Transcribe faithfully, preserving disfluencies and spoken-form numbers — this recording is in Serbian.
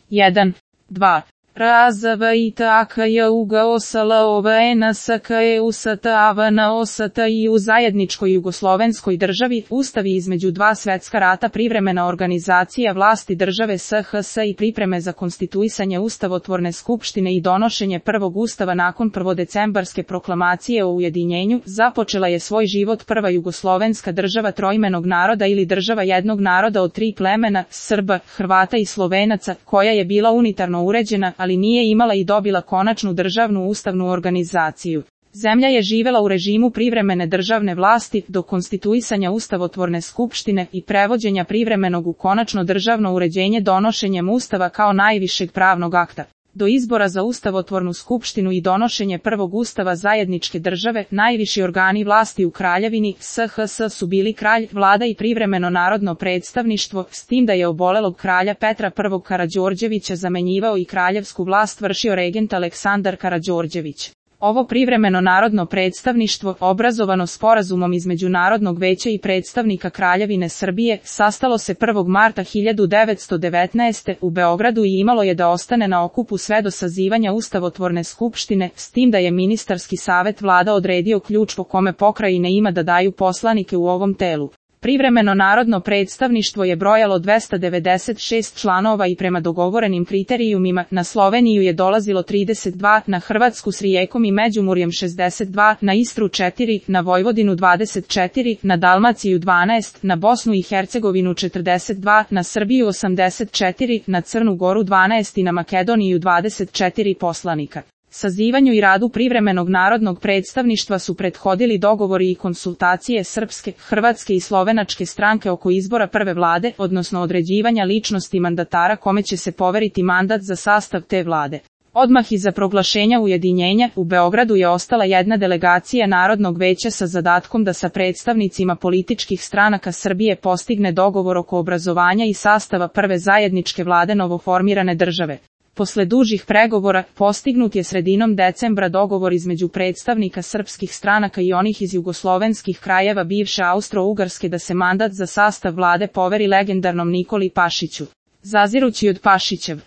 jedan, dva. R Z V I T A K J U G O S L O V N S K E U S T A V N O S T I u zajedničkoj jugoslovenskoj državi, ustavi između dva svetska rata, privremena organizacija vlasti države S H S i pripreme za konstituisanje ustavotvorne skupštine i donošenje prvog ustava nakon prvodecembarske proklamacije o ujedinjenju, započela je svoj život prva jugoslovenska država troimenog naroda ili država jednog naroda od tri plemena, Srba, Hrvata i Slovenaca, koja je bila unitarno uređena, ali nije imala i dobila konačnu državnu ustavnu organizaciju. Zemlja je živela u režimu privremene državne vlasti do konstituisanja ustavotvorne skupštine i prevođenja privremenog u konačno državno uređenje donošenjem ustava kao najvišeg pravnog akta. Do izbora za ustavotvornu skupštinu i donošenje prvog ustava zajedničke države, najviši organi vlasti u kraljevini S H S su bili kralj, vlada i privremeno narodno predstavništvo, s tim da je obolelog kralja Petra I Karađorđevića zamenjivao i kraljevsku vlast vršio regent Aleksandar Karađorđević. Ovo privremeno narodno predstavništvo, obrazovano sporazumom između Narodnog veća i predstavnika Kraljevine Srbije, sastalo se prvog marta hiljadu devetsto devetnaeste. u Beogradu i imalo je da ostane na okupu sve do sazivanja ustavotvorne skupštine, s tim da je ministarski savet vlada odredio ključ po kome pokrajine ima da daju poslanike u ovom telu. Privremeno narodno predstavništvo je brojalo dvesta devedeset šest članova i prema dogovorenim kriterijumima na Sloveniju je dolazilo trideset dva, na Hrvatsku s Rijekom i Međimurjem šezdeset dva, na Istru četiri, na Vojvodinu dvadeset četiri, na Dalmaciju dvanaest, na Bosnu i Hercegovinu četrdeset dva, na Srbiju osamdeset četiri, na Crnu Goru dvanaest i na Makedoniju dvadeset četiri poslanika. Sazivanju i radu privremenog narodnog predstavništva su prethodili dogovori i konsultacije srpske, hrvatske i slovenačke stranke oko izbora prve vlade, odnosno određivanja ličnosti mandatara kome će se poveriti mandat za sastav te vlade. Odmah iza proglašenja ujedinjenja, u Beogradu je ostala jedna delegacija Narodnog veća sa zadatkom da sa predstavnicima političkih stranaka Srbije postigne dogovor oko obrazovanja i sastava prve zajedničke vlade novoformirane države. Posle dužih pregovora, postignut je sredinom decembra dogovor između predstavnika srpskih stranaka i onih iz jugoslovenskih krajeva bivše Austro-Ugarske da se mandat za sastav vlade poveri legendarnom Nikoli Pašiću. Zazirući od Pašićev